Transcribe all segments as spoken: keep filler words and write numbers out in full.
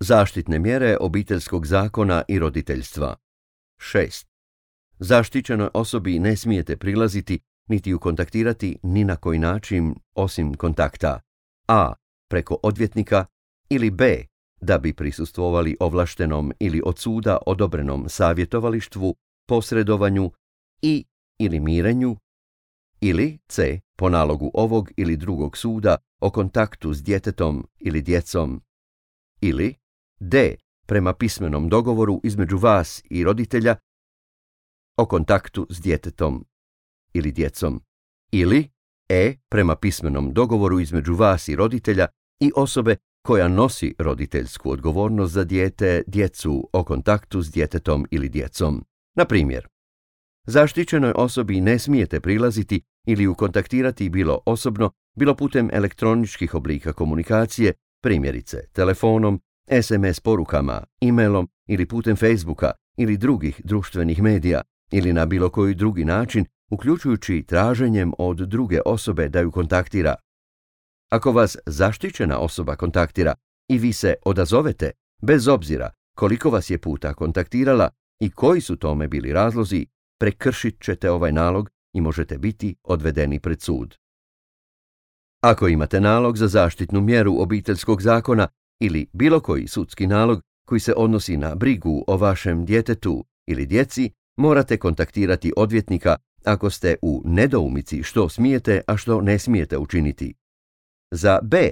Zaštitne mjere obiteljskog zakona i roditeljstva. šest. Zaštićenoj osobi ne smijete prilaziti niti ju kontaktirati ni na koji način osim kontakta a. preko odvjetnika ili b. da bi prisustvovali ovlaštenom ili od suda odobrenom savjetovalištvu, posredovanju i ili mirenju, ili c. po nalogu ovog ili drugog suda o kontaktu s djetetom ili djecom, ili d. prema pismenom dogovoru između vas i roditelja o kontaktu s djetetom ili djecom, ili e. prema pismenom dogovoru između vas i roditelja i osobe koja nosi roditeljsku odgovornost za dijete, djecu o kontaktu s djetetom ili djecom. Na primjer, zaštićenoj osobi ne smijete prilaziti ili ju kontaktirati bilo osobno, bilo putem elektroničkih oblika komunikacije, primjerice telefonom, es em es porukama, e-mailom ili putem Facebooka ili drugih društvenih medija ili na bilo koji drugi način, uključujući traženjem od druge osobe da ju kontaktira. Ako vas zaštićena osoba kontaktira i vi se odazovete, bez obzira koliko vas je puta kontaktirala i koji su tome bili razlozi, prekršit ćete ovaj nalog i možete biti odvedeni pred sud. Ako imate nalog za zaštitnu mjeru obiteljskog zakona ili bilo koji sudski nalog koji se odnosi na brigu o vašem djetetu ili djeci, morate kontaktirati odvjetnika ako ste u nedoumici što smijete, a što ne smijete učiniti. Za b.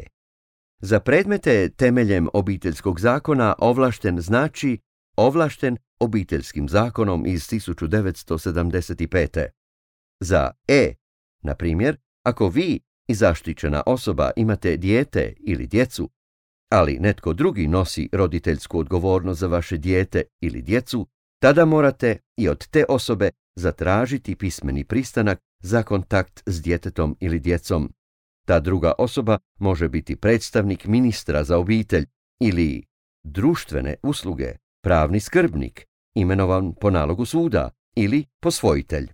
Za predmete temeljem obiteljskog zakona ovlašten znači ovlašten obiteljskim zakonom iz tisuću devetsto sedamdeset pete. Za e. na primjer, ako vi i zaštićena osoba imate dijete ili djecu, ali netko drugi nosi roditeljsku odgovornost za vaše dijete ili djecu, tada morate i od te osobe zatražiti pismeni pristanak za kontakt s djetetom ili djecom. Ta druga osoba može biti predstavnik ministra za obitelj ili društvene usluge, pravni skrbnik, imenovan po nalogu suda ili posvojitelj.